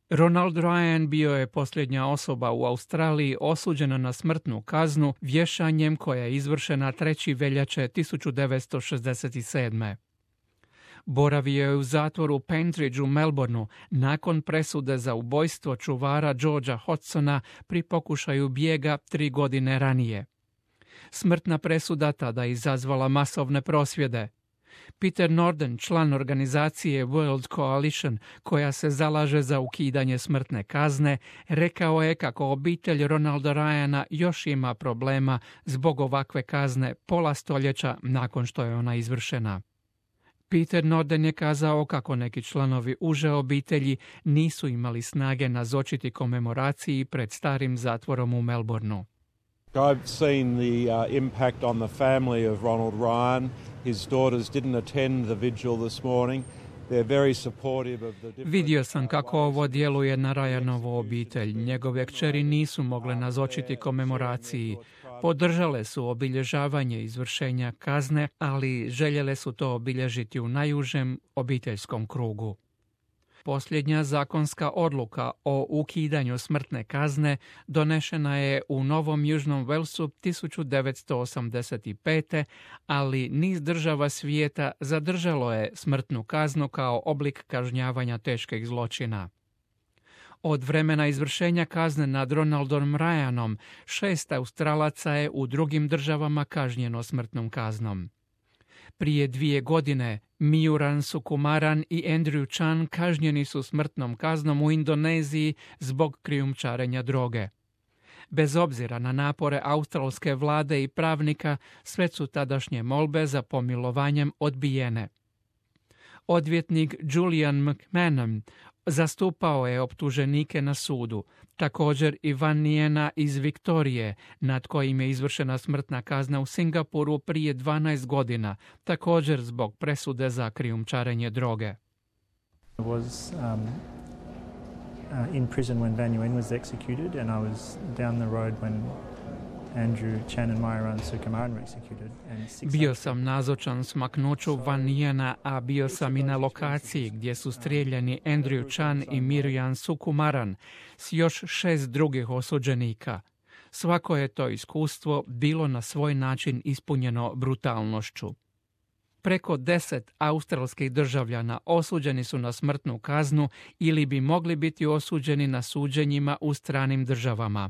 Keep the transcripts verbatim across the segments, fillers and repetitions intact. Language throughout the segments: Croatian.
Ronald Ryan bio je posljednja osoba u Australiji osuđena na smrtnu kaznu vješanjem koja je izvršena trećeg veljače tisuću devetsto šezdeset sedme. Boravio je u zatvoru u Pentridge u Melbourneu nakon presude za ubojstvo čuvara Georgea Hodsona pri pokušaju bijega tri godine ranije. Smrtna presuda tada izazvala masovne prosvjede. Peter Norden, član organizacije World Coalition, koja se zalaže za ukidanje smrtne kazne, rekao je kako obitelj Ronalda Ryana još ima problema zbog ovakve kazne pola stoljeća nakon što je ona izvršena. Peter Norden je kazao kako neki članovi uže obitelji nisu imali snage nazočiti komemoraciji pred starim zatvorom u Melbourneu. I've seen the uh, impact on the family of Ronald Ryan. His daughters didn't attend the vigil this morning. They're very supportive of the different... Vidio sam kako ovo djeluje na Ryanovu obitelj. Njegove kćeri nisu mogle nazočiti komemoraciji. Podržale su obilježavanje izvršenja kazne, ali željele su to obilježiti u najužem obiteljskom krugu. Posljednja zakonska odluka o ukidanju smrtne kazne donešena je u Novom Južnom Walesu tisuću devetsto osamdeset pete. ali niz država svijeta zadržalo je smrtnu kaznu kao oblik kažnjavanja teških zločina. Od vremena izvršenja kazne nad Ronaldom Ryanom, šest Australaca je u drugim državama kažnjeno smrtnom kaznom. Prije dvije godine Mijuran Sukumaran i Andrew Chan kažnjeni su smrtnom kaznom u Indoneziji zbog krijumčarenja droge. Bez obzira na napore australske vlade i pravnika, sve su tadašnje molbe za pomilovanjem odbijene. Odvjetnik Julian McMahon zastupao je optuženike na sudu, također i Van Nijena iz Viktorije, nad kojim je izvršena smrtna kazna u Singapuru prije dvanaest godina, također zbog presude za krijumčarenje droge. I was um, uh, in prison when Van Nguyen was executed, and I was down the road when Andrew Chan and Myuran Sukumaran were executed. Bio sam nazočan smaknuću Van Nijena, a bio sam i na lokaciji gdje su strijeljani Andrew Chan i Mirjan Sukumaran s još šest drugih osuđenika. Svako je to iskustvo bilo na svoj način ispunjeno brutalnošću. Preko deset australskih državljana osuđeni su na smrtnu kaznu ili bi mogli biti osuđeni na suđenjima u stranim državama.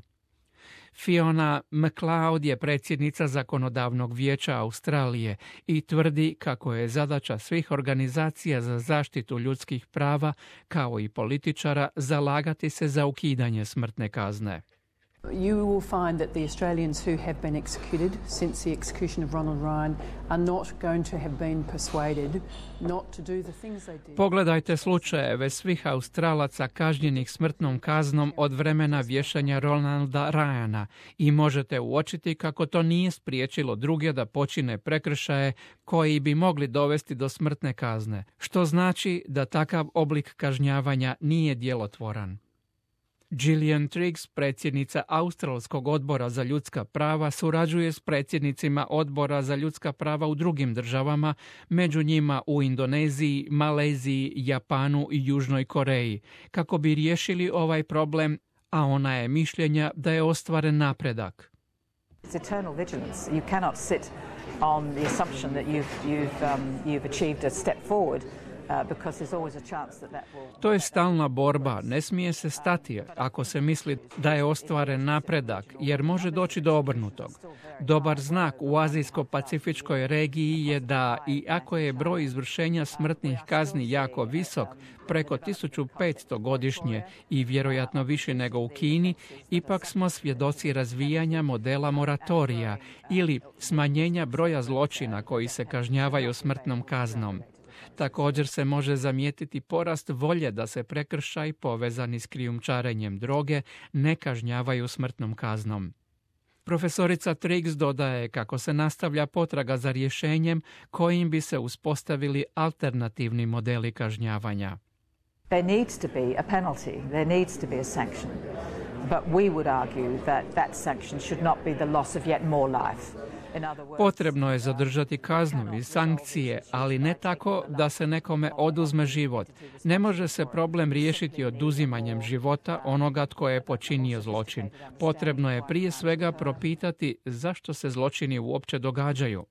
Fiona McLeod je predsjednica zakonodavnog vijeća Australije i tvrdi kako je zadaća svih organizacija za zaštitu ljudskih prava, kao i političara, zalagati se za ukidanje smrtne kazne. You will find that the Australians who have been executed since the execution of Ronald Ryan are not going to have been persuaded not to do the things they did. Pogledajte slučajeve svih Australaca kažnjenih smrtnom kaznom od vremena vješanja Ronalda Ryana i možete uočiti kako to nije spriječilo druge da počine prekršaje koji bi mogli dovesti do smrtne kazne, što znači da takav oblik kažnjavanja nije djelotvoran. Gillian Triggs, predsjednica Australskog odbora za ljudska prava, surađuje s predsjednicima odbora za ljudska prava u drugim državama, među njima u Indoneziji, Maleziji, Japanu i Južnoj Koreji, kako bi riješili ovaj problem, a ona je mišljenja da je ostvaren napredak. It's eternal vigilance. You cannot sit on the assumption that you've, you've, um, you've achieved a step forward. To je stalna borba, ne smije se stati ako se misli da je ostvaren napredak, jer može doći do obrnutog. Dobar znak u azijsko-pacifičkoj regiji je da, i ako je broj izvršenja smrtnih kazni jako visok, preko tisuću petsto godišnje i vjerojatno više nego u Kini, ipak smo svjedoci razvijanja modela moratorija ili smanjenja broja zločina koji se kažnjavaju smrtnom kaznom. Također se može zamijetiti porast volje da se prekršaj povezani s krijumčarenjem droge ne kažnjavaju smrtnom kaznom. Profesorica Triggs dodaje kako se nastavlja potraga za rješenjem kojim bi se uspostavili alternativni modeli kažnjavanja. There needs to be a penalty, there needs to be a sanction, but we would argue that that sanction should not be the loss of yet more life. Potrebno je zadržati kaznu i sankcije, ali ne tako da se nekome oduzme život. Ne može se problem riješiti oduzimanjem života onoga tko je počinio zločin. Potrebno je prije svega propitati zašto se zločini uopće događaju.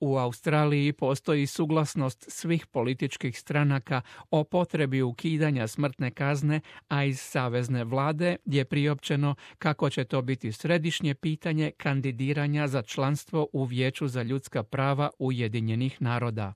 U Australiji postoji suglasnost svih političkih stranaka o potrebi ukidanja smrtne kazne, a iz savezne vlade je priopćeno kako će to biti središnje pitanje kandidiranja za članstvo u Vijeću za ljudska prava Ujedinjenih naroda.